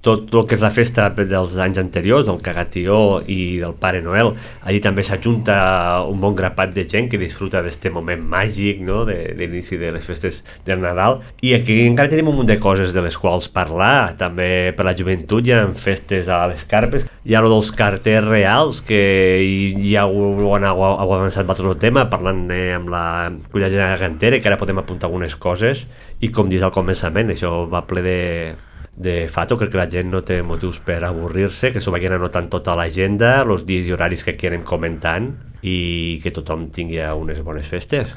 tot el que és la festa dels anys anteriors, del Cagatió i del Pare Noel. Allí també s'ajunta un bon grapat de gent que disfruta d'aquest moment màgic, no?, de l'inici de les festes del Nadal. I aquí encara tenim un munt de coses de les quals parlar. També per la joventut hi ha festes a les carpes. Hi ha dels carters reals, que ja ho han avançat vosaltres el tema, parlant amb la Culla General Gantera, que ara podem apuntar algunes coses. I com dius al començament, això va ple de fato. Crec que la gent no té motius per avorrir-se, que s'ho vagin anotant tota l'agenda, els dies i horaris que queden comentant, i que tothom tingui unes bones festes.